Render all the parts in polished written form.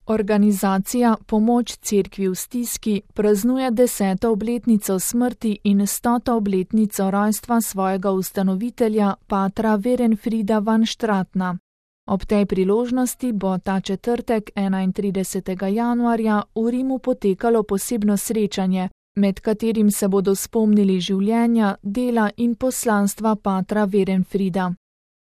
Organizacija Pomoč cerkvi v stiski praznuje 10. obletnico smrti in 100. obletnico rojstva svojega ustanovitelja, patra Werenfrida van Stratna. Ob tej priložnosti bo ta četrtek 31. januarja v Rimu potekalo posebno srečanje, med katerim se bodo spomnili življenja, dela in poslanstva patra Werenfrida.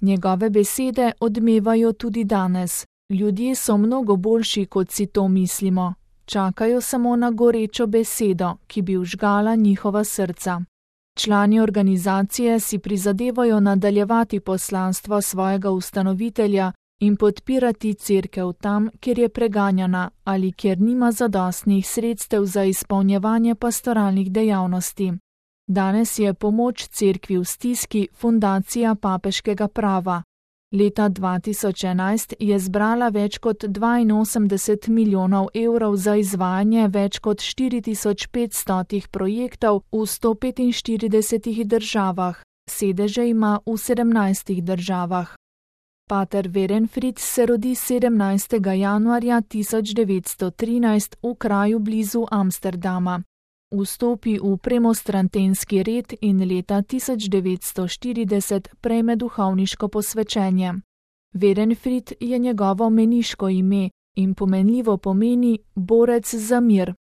Njegove besede odmevajo tudi danes. Ljudje so mnogo boljši, kot si to mislimo. Čakajo samo na gorečo besedo, ki bi vžgala njihova srca. Člani organizacije si prizadevajo nadaljevati poslanstvo svojega ustanovitelja in podpirati cerkev tam, kjer je preganjana ali kjer nima zadostnih sredstev za izpolnjevanje pastoralnih dejavnosti. Danes je Pomoč cerkvi v stiski fundacija papeškega prava. Leta 2011 je zbrala več kot 82 milijonov evrov za izvajanje več kot 4500 projektov v 145 državah, sedeže ima v 17 državah. Pater Werenfrid se rodi 17. januarja 1913 v kraju blizu Amsterdama. Vstopi v premostrantenski red in leta 1940 prejme duhovniško posvečenje. Werenfrid je njegovo meniško ime in pomenljivo pomeni borec za mir.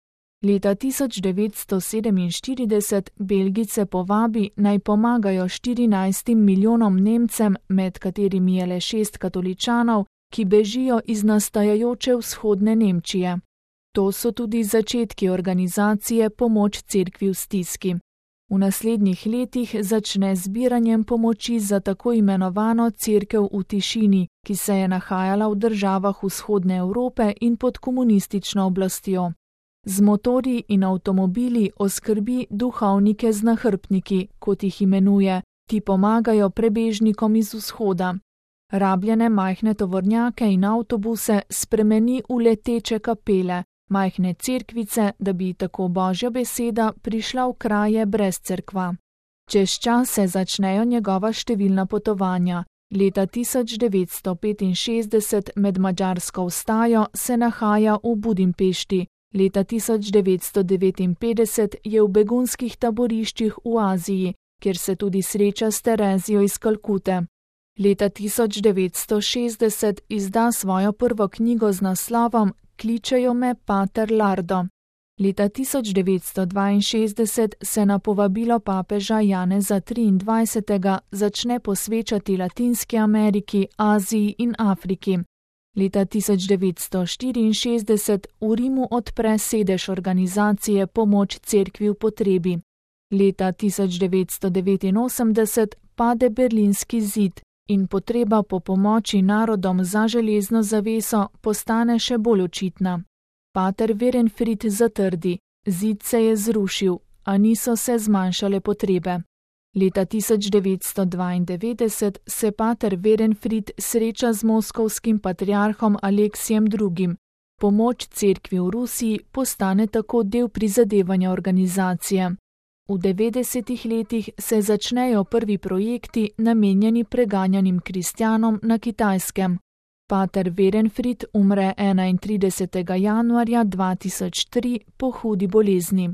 Leta 1947 Belgijce povabi, naj pomagajo 14 milijonom Nemcem, med katerimi je le 6 katoličanov, ki bežijo iz nastajajoče vzhodne Nemčije. To so tudi začetki organizacije Pomoč cerkvi v stiski. V naslednjih letih začne zbiranjem pomoči za tako imenovano cerkev v tišini, ki se je nahajala v državah vzhodne Evrope in pod komunistično oblastjo. Z motorji in avtomobili oskrbi duhovnike z nahrbtniki, kot jih imenuje, ti pomagajo prebežnikom iz vzhoda. Rabljene majhne tovornjake in avtobuse spremeni v leteče kapele, majhne cerkvice, da bi tako Božja beseda prišla v kraje brez cerkva. Čez čas se začnejo njegova številna potovanja. Leta 1965 med madžarsko vstajo se nahaja v Budimpešti. Leta 1959 je v begunskih taboriščih v Aziji, kjer se tudi sreča s Terezijo iz Kalkute. Leta 1960 izda svojo prvo knjigo z naslovom Kličejo me pater Lardo. Leta 1962 se na povabilo papeža Janeza XXIII. Začne posvečati Latinski Ameriki, Aziji in Afriki. Leta 1964 v Rimu odpre sedež organizacije Pomoč cerkvi v potrebi. Leta 1989 pade Berlinski zid in potreba po pomoči narodom za železno zaveso postane še bolj očitna. Pater Werenfrid zatrdi, zid se je zrušil, a niso se zmanjšale potrebe. Leta 1992 se pater Werenfrid sreča z moskovskim patriarhom Aleksijem II. Pomoč cerkvi v Rusiji postane tako del prizadevanja organizacije. V 90. letih se začnejo prvi projekti namenjeni preganjanim kristjanom na Kitajskem. Pater Werenfrid umre 31. januarja 2003 po hudi bolezni.